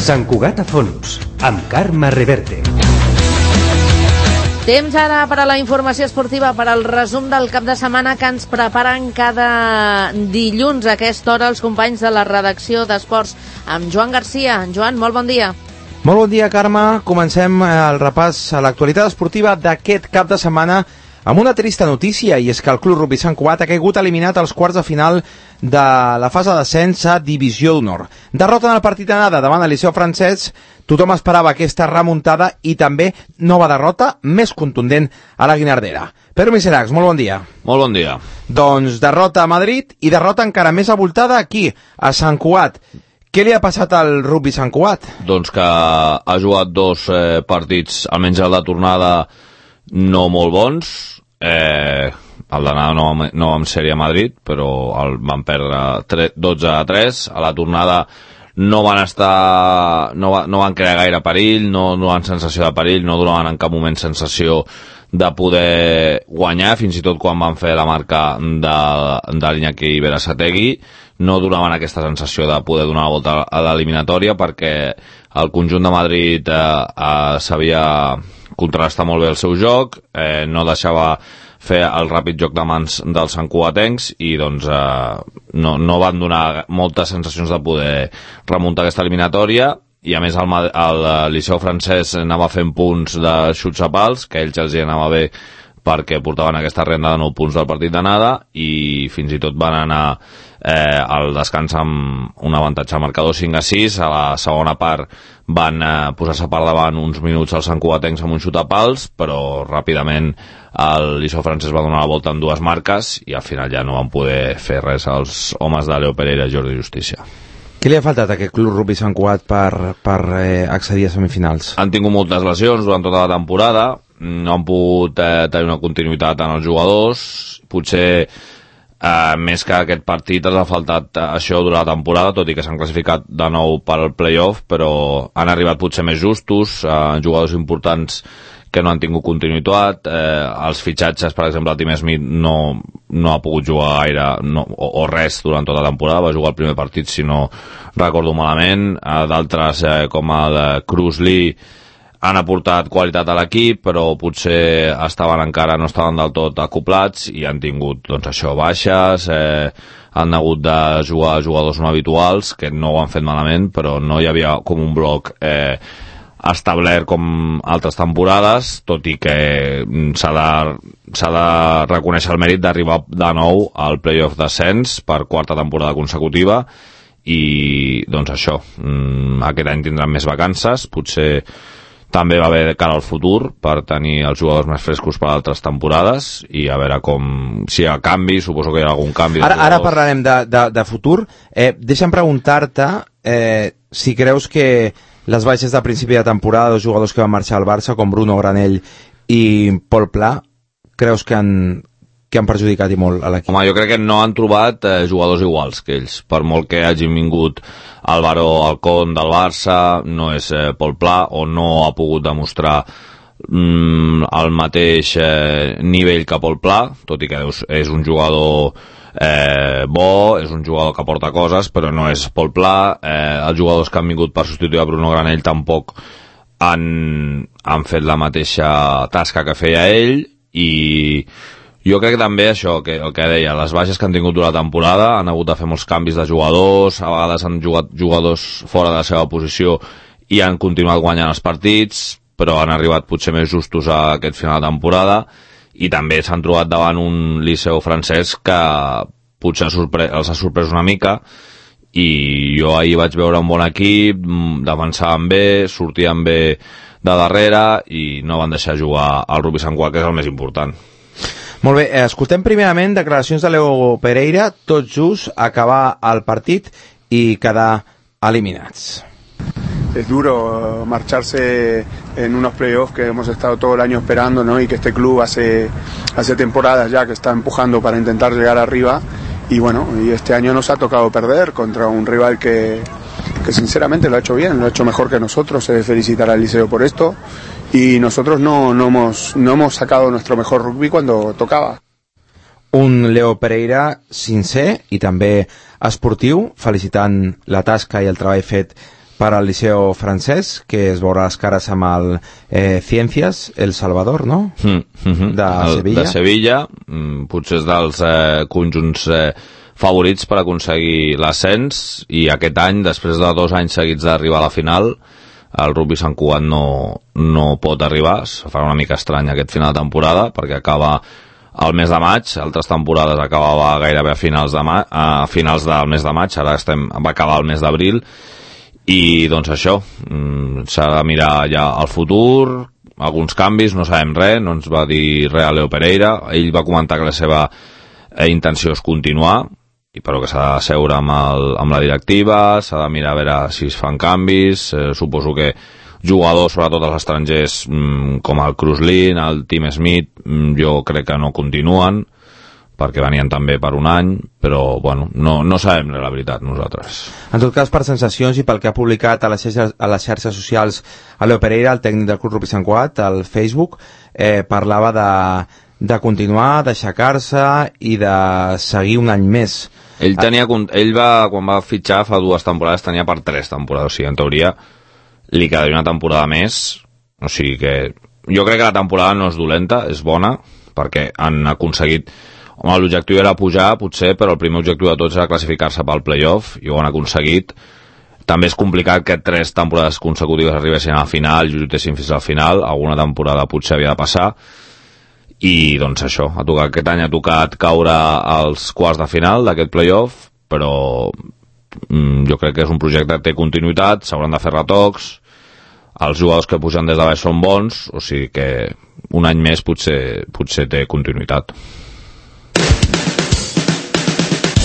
Sant Cugat a fons, amb Carme Reverte. Temps ara per a la informació esportiva, per al resum del cap de setmana que ens preparen cada dilluns a aquesta hora els companys de la redacció d'Esports, amb Joan Garcia. Joan, molt bon dia. Molt bon dia, Carme. Comencem el repàs a l'actualitat esportiva d'aquest cap de setmana amb una trista notícia, i és que el Club Rugby Sant Cugat ha caigut eliminat als quarts de final de la fase d'ascens a Divisió d'Honor. Derrota en el partit d'anada davant el Liceu Francesc. Tothom esperava aquesta remuntada i també nova derrota més contundent a la Guinardera. Pedro Miseracs, molt bon dia. Molt bon dia. Doncs derrota a Madrid i derrota encara més abultada aquí, a Sant Cugat. Què li ha passat al Rugby Sant Cugat? Doncs que ha jugat dos partits, almenys el de tornada, no molt bons. El d'anada no vam ser-hi a Madrid, però el van perdre 12-3. A la tornada no van crear gaire perill, no donaven sensació de perill, no donaven en cap moment sensació de poder guanyar, fins i tot quan van fer la marca de l'Iñaki Berasategui no donaven aquesta sensació de poder donar la volta a l'eliminatòria, perquè el conjunt de Madrid sabia contrastar molt bé el seu joc, no deixava fer el ràpid joc de mans dels santcugatencs i doncs no van donar moltes sensacions de poder remuntar aquesta eliminatòria. I a més el Liceu Francès anava fent punts de xuts a pals, que a ells els hi anava bé perquè portaven aquesta renda de 9 punts del partit d'anada, i fins i tot van anar al descans amb un avantatge al marcador 5-6. A la segona part van posar-se per davant uns minuts als santcugatencs amb un xut a pals, però ràpidament el Liceu Francès va donar la volta en dues marques i al final ja no van poder fer res els homes de Leo Pereira i Jordi Justícia. Què li ha faltat a aquest Club Rugby Sant Cugat per accedir a semifinals? Han tingut moltes lesions durant tota la temporada, no han pogut tenir una continuïtat en els jugadors. Potser més que aquest partit els ha faltat això durant la temporada, tot i que s'han classificat de nou per al playoff, però han arribat potser més justos, jugadors importants que no han tingut continuïtat. Els fitxatges, per exemple, el Tim Smith no ha pogut jugar gaire o res durant tota la temporada, va jugar el primer partit si no recordo malament. D'altres com el de Cruz Lee han aportat qualitat a l'equip, però potser no estaven del tot acoplats i han tingut doncs això, baixes, han hagut de jugar jugadors no habituals que no ho han fet malament, però no hi havia com un bloc establert com altres temporades, tot i que s'ha de reconèixer el mèrit d'arribar de nou al playoff d'ascens per quarta temporada consecutiva. I doncs això, aquest any tindran més vacances, potser també va haver de cara al futur per tenir els jugadors més frescos per altres temporades, i a veure si hi ha canvi, suposo que hi ha algun canvi. Ara parlarem de futur. Deixa'm preguntar-te si creus que les baixes de principi de temporada dels jugadors que van marxar al Barça, com Bruno Granell i Pol Pla, creus que han perjudicat i molt a l'equip? Home, jo crec que no han trobat jugadors iguals que ells, per molt que hagin vingut Álvaro Alcón del Barça, no és Pol Pla, o no ha pogut demostrar el mateix nivell que Pol Pla, tot i que és un jugador bo, és un jugador que aporta coses, però no és Pol Pla. Els jugadors que han vingut per substituir a Bruno Granell tampoc han fet la mateixa tasca que feia ell, i jo crec que també això, que el que deia, les baixes que han tingut durant la temporada, han hagut de fer molts canvis de jugadors, a vegades han jugat jugadors fora de la seva posició i han continuat guanyant els partits, però han arribat potser més justos a aquest final de temporada, i també s'han trobat davant un Liceu Francès que potser els ha sorprès una mica, i jo ahir vaig veure un bon equip, defensaven bé, sortien bé de darrere i no van deixar jugar al Rugby Sant Cugat, que és el més important. Molt bé, escoltem primerament declaracions de Leo Pereira, tot just acabar el partit y quedar eliminados. Es duro marcharse en unos playoffs que hemos estado todo el año esperando, ¿no? Y que este club hace temporadas ya que está empujando para intentar llegar arriba, y bueno, y este año nos ha tocado perder contra un rival que sinceramente lo ha hecho bien, lo ha hecho mejor que nosotros. Se debe felicitar al Liceo por esto, y nosotros no hemos sacado nuestro mejor rugby cuando tocaba. Un Leo Pereira sincer i també esportiu, felicitant la tasca i el treball fet per al Liceu francès, que es veurà les cares amb el Ciencias, El Salvador, no? De Sevilla. De Sevilla, potser és dels conjunts favorits per aconseguir l'ascens, i aquest any, després de 2 anys seguits d'arribar a la final, el Rugby Sant Cugat no pot arribar. Se farà una mica estrany aquest final de temporada, perquè acaba al mes de maig. Altres temporades acabava gairebé a finals del mes de maig, ara va acabar el mes d'abril, i doncs això, s'ha de mirar ja al futur, alguns canvis, no sabem res, no ens va dir res a Leo Pereira. Ell va comentar que la seva intenció és continuar, però que s'ha de seure amb la directiva, s'ha de mirar a veure si es fan canvis. Suposo que jugadors, sobretot els estrangers, com el Kruslin, el Tim Smith, jo crec que no continuen, perquè venien també per un any, però bueno, no sabem la veritat nosaltres. En tot cas, per sensacions i pel que ha publicat a les xarxes socials a Leo Pereira, el tècnic del Club Rugby Sant Cugat, al Facebook, parlava de continuar, d'aixecar-se i de seguir un any més. Quan va fitxar fa 2 temporades, tenia per 3 temporades, o sigui, en teoria li quedaria una temporada més, o sigui que jo crec que la temporada no és dolenta, és bona, perquè han aconseguit. Home, l'objectiu era pujar, potser, però el primer objectiu de tots era classificar-se pel playoff, i ho han aconseguit. També és complicat que 3 temporades consecutives arribessin a la final i lluitessin fins al final. Alguna temporada potser havia de passar, i doncs això, aquest any ha tocat caure als quarts de final d'aquest playoff, però jo crec que és un projecte que té continuïtat, s'hauran de fer retocs, els jugadors que pugen des de baix són bons, o sigui que un any més potser té continuïtat.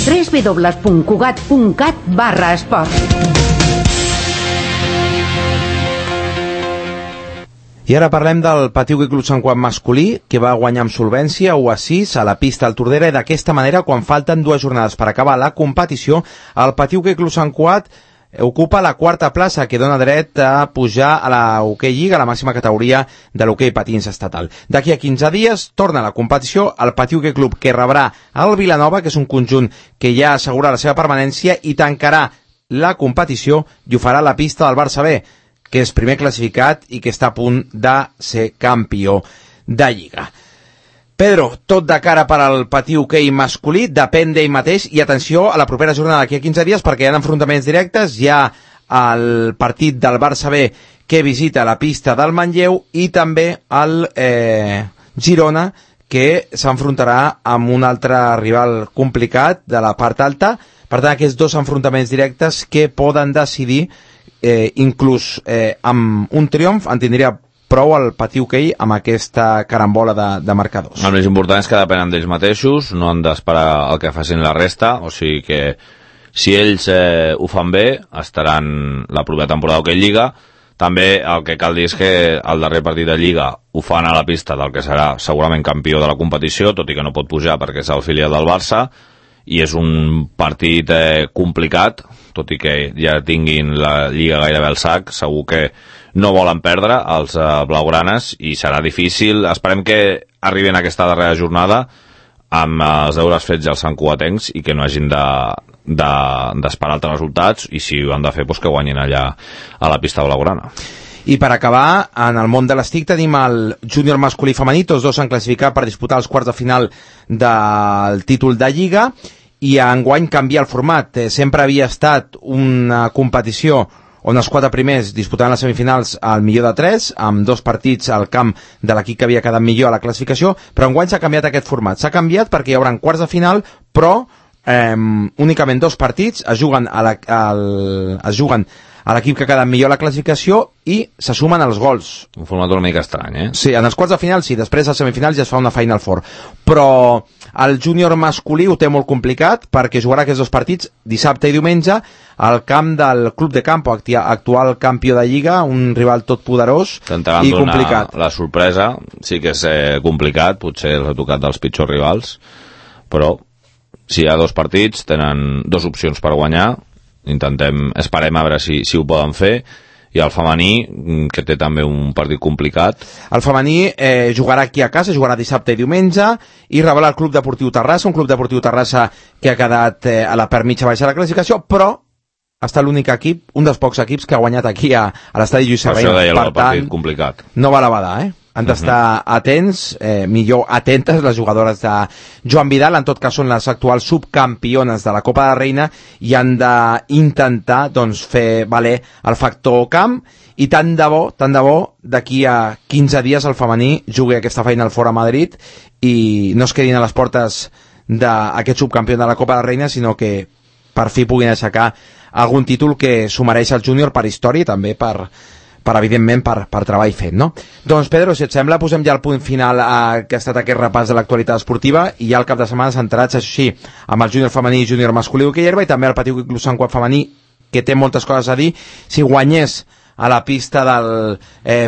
www.cugat.cat/esport. I ara parlem del Patí Hoquei Club Sant Cugat masculí, que va guanyar amb solvència 1-6 a la pista al Tordera, i d'aquesta manera, quan falten 2 jornades per acabar la competició, el Patí Hoquei Club Sant Cugat ocupa la 4a plaça, que dona dret a pujar a la Hoquei Lliga, a la màxima categoria de l'hoquei patins estatal. D'aquí a 15 dies torna a la competició el Patí Hoquei Club, que rebrà el Vilanova, que és un conjunt que ja assegura la seva permanència, i tancarà la competició i ho farà a la pista del Barça B, que és primer classificat i que està a punt de ser campió de Lliga. Pedro, tot de cara per al Patí Hoquei masculí, depèn d'ell mateix, i atenció a la propera jornada d'aquí a 15 dies, perquè hi ha enfrontaments directes. Hi ha el partit del Barça B, que visita la pista del Manlleu, i també el Girona, que s'enfrontarà amb un altre rival complicat de la part alta. Per tant, aquests 2 enfrontaments directes que poden decidir, inclús amb un triomf en tindria prou el Patí Hoquei amb aquesta carambola de marcadors. El més important és que depenen d'ells mateixos, no han d'esperar el que facin la resta, o sigui que si ells ho fan bé, estaran la propera temporada d'Hoquei Lliga. També el que cal dir és que el darrer partit de Lliga ho fan a la pista del que serà segurament campió de la competició, tot i que no pot pujar perquè és el filial del Barça, i és un partit complicat, tot i que ja tinguin la Lliga gairebé al sac. Segur que no volen perdre els blaugranes i serà difícil. Esperem que arribin a aquesta darrera jornada amb els deures fets als santcugatencs i que no hagin d'esperar altres resultats, i si ho han de fer, doncs que guanyin allà a la pista blaugrana. I per acabar, en el món de l'estic tenim el júnior masculí i femení, tots 2 s'han classificat per disputar els quarts de final del títol de Lliga, i enguany canvia el format. Sempre havia estat una competició on els 4 primers disputaven les semifinals al millor de 3, amb 2 partits al camp de l'equip que havia quedat millor a la classificació, però enguany s'ha canviat aquest format. S'ha canviat perquè hi haurà quarts de final, però únicament 2 partits es juguen a l'equip que ha quedat millor a la classificació i se sumen els gols. Un format una mica estrany, eh? Sí, en els quarts de final sí, després als semifinals ja es fa una Final Four, però el júnior masculí ho té molt complicat perquè jugarà aquests 2 partits dissabte i diumenge al camp del Club de Campo, actual campió de Lliga, un rival tot poderós i complicat. La sorpresa sí que és complicat, potser els ha tocat dels pitjors rivals, però si hi ha 2 partits tenen 2 opcions per guanyar. Esperem a veure si ho poden fer. I el femení, que té també un partit complicat. El femení jugarà aquí a casa, jugarà dissabte i diumenge, i rebrà el Club Deportiu Terrassa, un Club Deportiu Terrassa que ha quedat a la part mitja baixa de la classificació, però ha estat l'únic equip, un dels pocs equips que ha guanyat aquí a l'estadi Lluís Per Serrano. això deia Per el partit tant, complicat. no va la badar, Han d'estar atents, millor atentes les jugadores de Joan Vidal, en tot cas són les actuals subcampiones de la Copa de la Reina i han d'intentar doncs, fer valer el factor camp i tant de bo, d'aquí a 15 dies el femení jugui aquesta feina al Fora Madrid i no es quedin a les portes d'aquest subcampió de la Copa de la Reina, sinó que per fi puguin aixecar algun títol que s'ho mereix el júnior per història i també per evidentment, per treball fet, no? Doncs, Pedro, si et sembla, posem ja el punt final que ha estat aquest repàs de l'actualitat esportiva i ja el cap de setmana centrats, això sí, amb el júnior femení i júnior masculí d'hoquei herba i també el Petit Club Sant Cugat femení, que té moltes coses a dir. Si guanyés a la pista del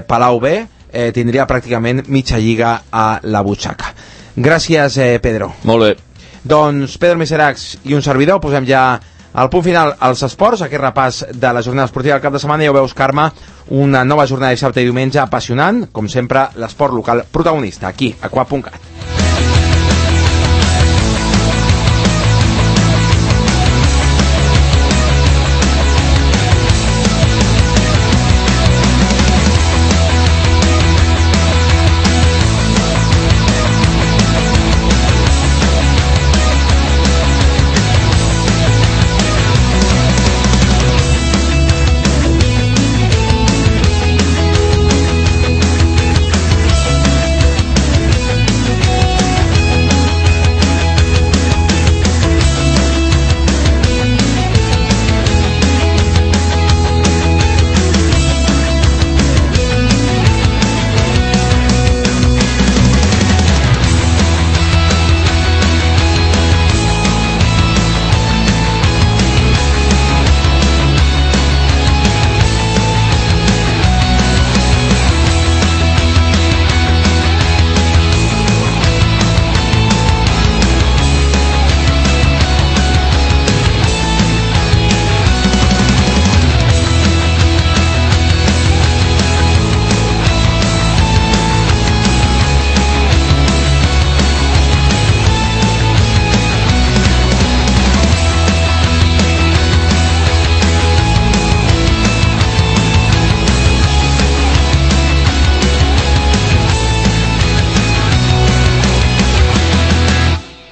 Palau B, tindria pràcticament mitja lliga a la butxaca. Gràcies, Pedro. Molt bé. Doncs, Pedro Miseracs i un servidor, posem ja al punt final als esports, aquest repàs de la jornada esportiva del cap de setmana. Ja ho veus, Carme, una nova jornada de dissabte i diumenge apassionant, com sempre, l'esport local protagonista, aquí, a Cuap.cat.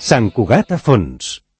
Sant Cugat a fons.